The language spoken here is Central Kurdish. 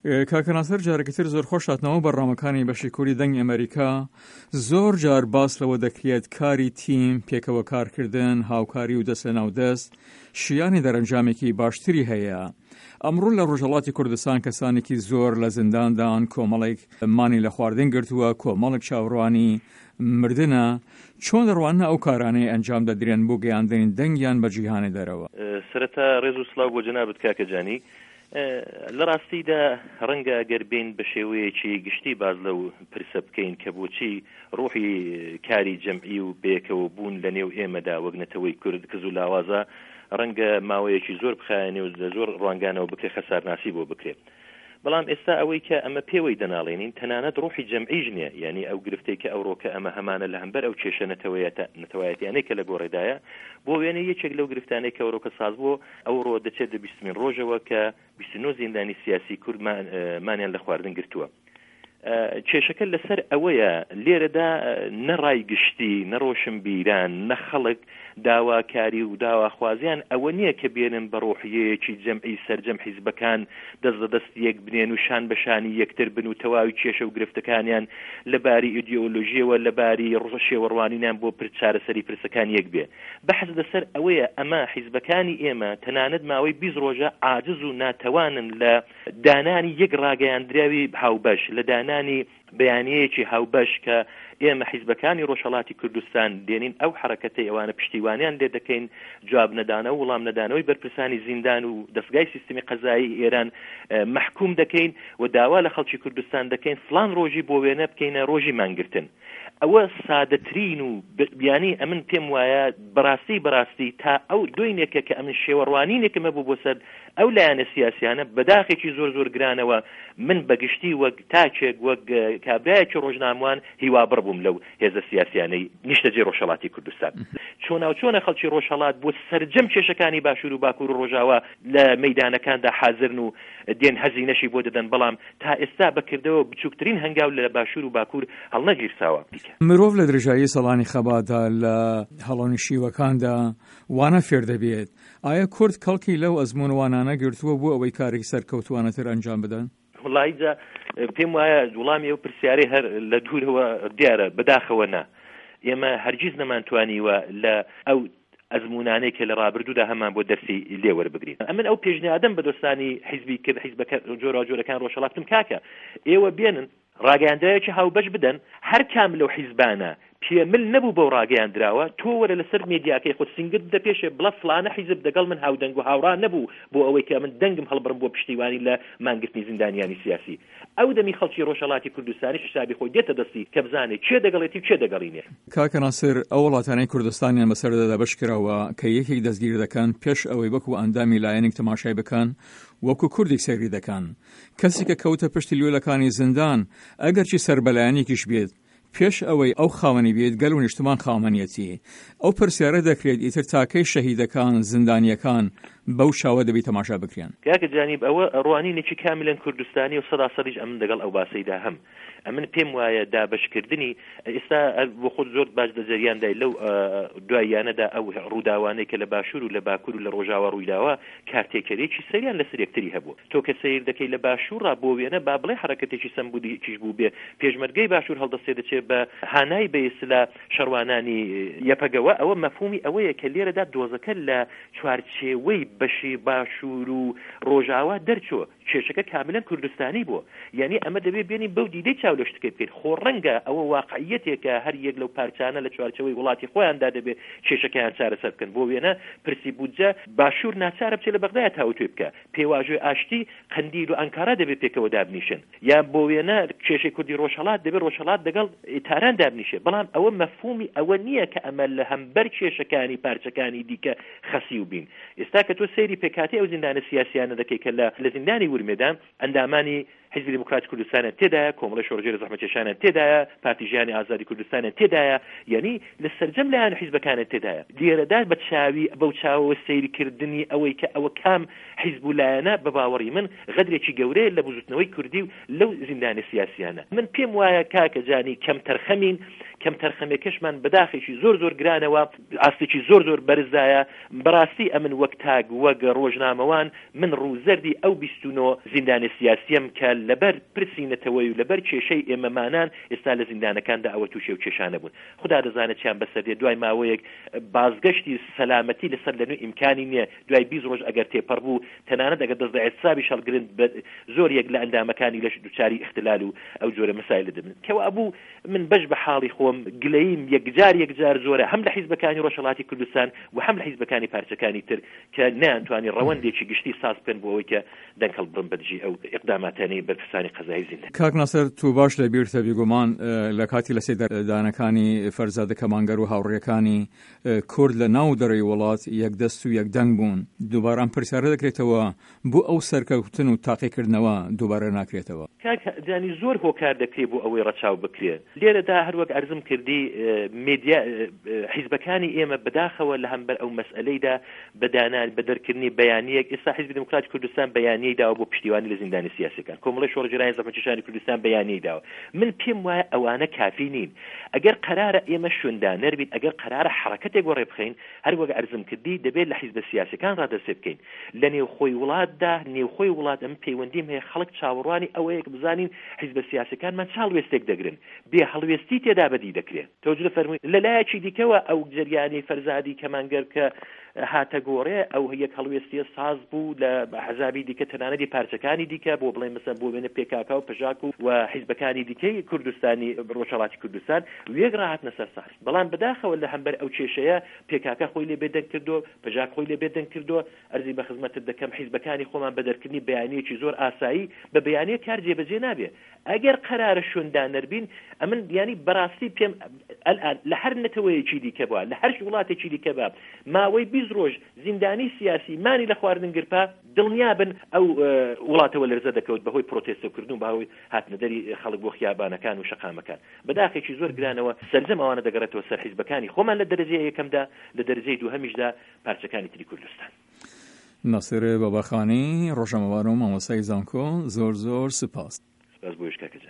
کاکە ناسر جارێکی تر زۆر خۆش هاتنەوە بەرنامەکانی بەشی کوردی دەنگی ئەمەریکا. زۆر جار باس لەوە دەکرێت کاری تیم، پێکەوە کارکردن، هاوکاری و دەست لەناو دەست شیانی دەرەنجامێکی باشتری هەیە. ئەمڕۆ لە ڕۆژهەڵاتی کوردستان کەسانێکی زۆر لە زینداندان، کۆمەڵێک مانی لە خواردن گرتووە، کۆمەڵێک چاوەڕوانی مردنە، چۆن دەڕواننە ئەو کارانەی ئەنجام دەدرێن بۆ گەیاندنی دەنگیان بە جیهانی دەرەوە؟ سەرەتا ڕێز و سڵاو بۆ جەنابت کاکە جانی. لە ڕاستیدا ڕەنگە ئەگەر بێین بە شێوەیەکی گشتی باس لەو پرسە بکەین کە بۆچی ڕوحی کاری جەمعی و بەیەکەوە بوون لە نێو ئێمەدا وەک نەتەوەی کورد کز و لاوازە، ڕەنگە ماوەیەکی زۆر بخایەنێ و لە زۆر ڕوانگانەوە بکرێ خەسارناسی بۆ بکرێ. بەڵام ئێستا ئەوەی کە ئەمە پێوەی دەناڵێنین تەنانەت ڕوحی جەمعیش نیە، یانی ئەو گرفتەی کە ئەوڕۆکە ئەمە هەمانە لە هەمبەر ئەو کێشە نەتەوەیەتە نەتەوایەتیانەی کە لە گۆڕێدایە، بۆ وێنە یەکێک لەو گرفتانەی کە ئەوڕۆکە ساز بۆ ئەوڕۆ دەچێتە بیستمین ڕۆژەوە کە 29 زیندانی سیاسی کورد مانیان لە خواردن گرتووە. کێشەکە لەسەر ئەوەیە لێرەدا نە ڕای گشتی، نە ڕۆشنبیران، نە خەڵک داواکاری و داواخوازیان ئەوە نییە کە بێنن بە ڕۆحیەیەکی جەمعی سەرجەم حیزبەکان دەست لە دەست یەک بنێن و شان بە شانی یەکتر بن و تەواوی کێشە و گرفتەکانیان لە باری ئیدیۆلۆژیەوە لە باری شێوەڕوانینیان بۆ چارەسەری پرسەکان یەک بێ. بەحس لەسەر ئەوەیە ئەمە حیزبەکانی ئێمە تەنانەت ماوەی 20 ڕۆژە عاجز و ناتەوانن لە دانانی یەک ڕاگەیاندراوی هاوبەش، لە دانانی بەیانیەیەکی هاوبەش کە ئێمە حیزبەکانی ڕۆژهەڵاتی کوردستان دێنین ئەو حەڕەکەتەی ئەوانە پشتیوانیان لێ دەکەین، جواب نەدانەوە وڵام نەدانەوەی بەرپرسانی زیندان و دەسگای سیستمی قەزایی ئێران مەحکووم دەکەین و داوا لە خەڵکی کوردستان دەکەین فڵان ڕۆژی بۆ وێنە بکەینە ڕۆژی مانگرتن. ئەوە سادەترین و یانی ئەمن پێم وایە بەڕاستی بەڕاستی تا ئەو دۆینێکە کە ئەمن شێوە ڕوانینێکم هەبوو بۆ سەر ئەو لایەنە سیاسیانە بەداخێکی زۆر زۆر گرانەوە من بەگشتی وەک تاکێک وەک کابرایەکی ڕۆژناموان هیوابڕ بووم لەو هێزە سیاسیانەی نیشتەجێی ڕۆژهەڵاتی کوردستان. چۆناوچۆنە خەڵکی ڕۆژهەڵات بۆ سەرجەم کێشەکانی باشوور و باکوور و ڕۆژاوا لە مەیدانەکاندا حازرن و دێن هەزینەشی بۆ دەدەن بەڵام تا ئێستا بە کردەوە بچووکترین هەنگاو لە باشوور و باکوور هەڵنەگیرساوە. مرۆڤ لە درێژایی ساڵانی خەباتدا لە هەڵۆنشیوەکاندا وانە فێر دەبێت. ئایا کورد کەڵکی لەو ئەزموون وانانە گرتووە بۆ ئەوەی کارێکی سەرکەوتووانەتر ئەنجام بدەن؟ وەڵایی جا پێم وایە وڵامی ئەو پرسیارەی هەر لە دوورەوە دیارە، بەداخەوە نا. ئێمە هەرگیز نەمانتوانیوە لە ئەو ئەزموونانەی کە لە ڕابردوودا هەمان بۆ دەرسی لێ وەربگرین. ئەمن ئەو پێشنیادەم بە دۆستانی حیزبی کرد، حیزبەکە جۆراوجۆرەکان ڕۆژهەڵات، وتم کاکە ئێوە بێنن ڕاگەیاندراوێکی هاوبەش بدەن، هەر کام لەو حیزبانە پێ مل نەبوو بەو ڕاگەیاندراوە، تۆ وەرە لەسەر مێدیاکەی خۆت سینگت بدە پێشێ بڵە فڵانە حیزب دەگەڵ من هاودەنگ و هاوڕا نەبوو بۆ ئەوەی کە ئەمن دەنگم هەڵبڕم بۆ پشتیوانی لە مانگرتنی زیندانیانی سیاسی. ئەو دەمی خەڵکی ڕۆژهەڵاتی کوردستانیش حیسابی خۆی دێتە دەستی کە بزانێ کێ دەگەڵێتی و کێ دەگەڵی نیە. کاکە ناسر ئەو وڵاتانەی کوردستانیان بەسەردا دابەش کراوە کە یەکێک دەستگیر دەکەن پێش ئەوەی وەکو ئەندامی لایەنێک تەماشای بکەن وەکو کوردێک سەیری دەکەن کەسی کە کەوتە پشتی لوێلەکانی زیندان ئەگەرچی سەر بە لایەنێکیش بێت پێش ئەوەی ئەو خاوەنی بێت گەل و نیشتمان خاوەنیەتی ئەو پرسیارە دەکرێت ئیتر تاکەی شەهیدەکان زیندانیەکان بەو چاوە دەبی تەماشا بکرێن. کاکە جانیب ئەوە ڕوانینێکی کاملەن کوردستانیە و سەدا سەدیش ئەمن دەگەڵ ئەو باسەیدا هەم. ئەمن پێم وایە دابەشکردنی ئێستا بۆ خۆت زۆر باش لە جەریاندای لەو دواییانەدا ئەو ڕووداوانەی کە لە باشوور و لە باکوور و لە ڕۆژاوا ڕوویداوە کارتێکەریی سەیریان لەسەر یەکتری هەبوو. تۆ کە سەیر دەکەی لە باشوورڕا بۆ وێنە با بڵێ حەڕەکەتێکی سەمبولیکیش بووبێ پێشمەرگەی باشوور هەڵدەستێ دەچێ بە هانای بە ئیستلا شەڕوانانی یەپەگەوە ئەوە مەفهوومی ئەوەیە کە لێرەدا دۆزەکە لە چوارچێوەی بەشی باشوور و ڕۆژاوا دەرچووە. کێشەکە کاملەن کوردستانی بووە. یانی ئەمە دەبێ بێنین بەو دیدەی چاو لە شتەکە بکەین. خۆ ڕەنگە ئەوە واقعییەتێکە هەر یەک لەو پارچانە لە چوارچێوەی وڵاتی خۆیاندا دەبێ کێشەکەیان چارەسەر بکەن. بۆ وێنە پرسی بودجە باشوور ناچارە بچێ لە بەغدایە تاوتوێ بکا. پێواژۆی ئاشتی قەندیل و ئانکارا دەبێ پێکەوە دابنیشن. یا بۆ وێنە کێشەی کوردی ڕۆژهەڵات دەبێ ڕۆژهەڵات دەگەڵ تاران دابنیشێ. بەڵام ئەوە مەفهوومی ئەوە نییە کە ئەمە لە هەمبەر کێشەکانی پارچەکانی دیکە خەسیو بین. ئێستا کە تۆ سەیری پێکهاتەی ئەو زیندانە سیاسیانە دەکەی کە لە لە زیندانی ورمێدا ئەندامانی. حیزبی دێموکراتی کوردستانیان تێدایە، کۆمەڵەی شۆڕشگێری زەحمەتکێشانیان تێدایە، پارتی ژیانی ئازادی کوردستانیان تێدایە، یانی لە سەرجەم لایەن و حیزبەکانیان تێدایە. لێرەدا بە چاوی بەو چاوەوە سەیر کردنی ئەوەی کە ئەوە کام حیزب و لایەنە بە باوەڕی من غەدرێکی گەورەیە لە بزووتنەوەی کوردی و لەو زیندانە سیاسییانە. من پێم وایە کاکە جانی کەمتەرخەمین، کەمتەرخەمیەکەشمان بە داخێکی زۆر زۆر گرانەوە ئاستێکی زۆر زۆر بەرزدایە، بەڕاستی ئەمن وەک تاک وەک ڕۆژنامەوان من ڕووزەردی ئەو 29 زیندانیە سیاسیەم کە لەبەر پرسی نەتەوەی و لەبەر کێشەی ئێمەمانان ئێستا لە زیندانەکاندا ئەوە تووشی ئەو کێشانە بوون. خودا دەزانێت چیان بەسەر دێت دوای ماوەیەک بازگەشتی سەلامەتی لەسەر لەنوێ ئیمکانی نیە دوای 20 ڕۆژ ئەگەر تێپەڕ بوو تەنانەت ئەگەر دەست لە ئیعتسابیش هەڵگرن بە زۆر یەک لە ئەندامەکانی لەش دوچاری ئیختلال و ئەو جۆرە مەسایلە دەبن کەوابوو من بەش بە حاڵی خۆم گلەییم یەکجار یەکجار زۆرە هەم لە حیزبەکانی ڕۆژهەڵاتی کوردستان و هەم لە حیزبەکانی پارچەکانی تر کە نەیانتوانی ڕەوەندێکی گشتی ساز بکەن بۆ ئەوەی کە دەنگ هەڵبڕن بە دژی ئەو ئیقداماتانەی بەرپرسانی قەزایی زیندان. کاک ناسر تۆ باش لە بیرتە بیگومان لە کاتی لەسێدارەدانەکانی فەرزادە کەمانگەر و هاوڕێکانی کورد لە ناو دەرەوەی وڵات یەک دەست و یەک دەنگ بوون دووبارە ئەم پرسیارە دەکرێتەوە بۆ ئەو سەرکەوتن و تاقیکردنەوە دووبارە ناکرێتەوە؟ کاک جانی زۆر هۆکار دەکرێ بۆ ئەوەی ڕەچاو بکرێ لێرەدا هەر وەک عەرزم کردی مێدیا حیزبەکانی ئێمە بەداخەوە لە هەمبەر ئەو مەسئەلەیدا بە دانان بە دەرکردنی بەیانییەک ئێستا حیزبی دێموکراتی کوردستان بەیانیەی داوە بۆ پشتیوانی لە زیندانی سیاسیەکان کۆمەڵەی شۆڕشگێرانی زەحمەتکێشانی کوردستان بەیانیەی داوە من پێم وایە ئەوانە کافی نین ئەگەر قەرارە ئێمە شوێندانەر بین ئەگەر قەرارە حەڕەکەتێک وەڕێ بخەین هەر وەک عەرزم کردی دەبێت لە حیزبە سیاسیەکان ڕا دەست پێ بکەین لە نێوخۆی وڵاتدا نێوخۆی وڵات ئەمن پەیوەندیم هەیە خەڵک چاوەڕوانی ئەوەیە کە بزانین حیزبە سیاسیەکانمان چ هەڵوێستێک دەگرن بێ هەڵوێستی تێدا بەدی دەکرێ. تەوجدە فەرمووی، لە لایەکی دیکەوە ئەو جەریانەی فەرزادی کەمانگەر کە هاتە گۆڕێ ئەو یەک هەڵوێستیە ساز بوو لە ئەحزابی دیکە تەنانەتی پارچەکانی دیکە بۆ بڵێن مەسەن بۆ وێنە پێکاکا و پژاک و و حیزبەکانی دیکەی کوردستانی ڕۆژهەڵاتی کوردستان وێک ڕاهاتنە سەر ساز بەڵام بەداخەوە لە هەمبەر ئەو کێشەیە پێکاکا خۆی لێ بێدەنگ کردو پژاک خۆی لێ بێدەنگ کردو ئەرزی بە خزمەتت دەکەم حیزبەکانی خۆمان بە دەرکردنی بەیانیەکی زۆر ئاسایی بە بەیانیە کار جێبەجێ نابێ ئەگەر قەرارە شوێندانەر بین ئەمن یانی بەڕاستی پێم ئەلئان لە هەر نەتەوەیەکی دیکە بوە لە هەر وڵاتێکی دیکە بە ماوەی 20 ڕۆژ زیندانی سیاسی مانی لە خواردن گرپا دڵنیا بن ئەو وڵاتەوە لەرزە دەکەوت بەهۆی پرۆتێستۆکردن و بەهۆی هاتنەدەری خەڵک بۆ خیابانەکان و شەقامەکان بەداخێکی زۆر گرانەوە سەرجەم ئەوانە دەگەڕێتەوە سەر حیزبەکانی خۆمان لە دەرەجەی یەکەمدا لە دەرەجەی دووهەمیشدا پارچەکانی تری کوردستان. ناسر باباخانی، ڕۆژنامەوان و مامۆستای زانکۆ، زۆر زۆر سوپاس. سوپاس بۆ یش کاکە جان.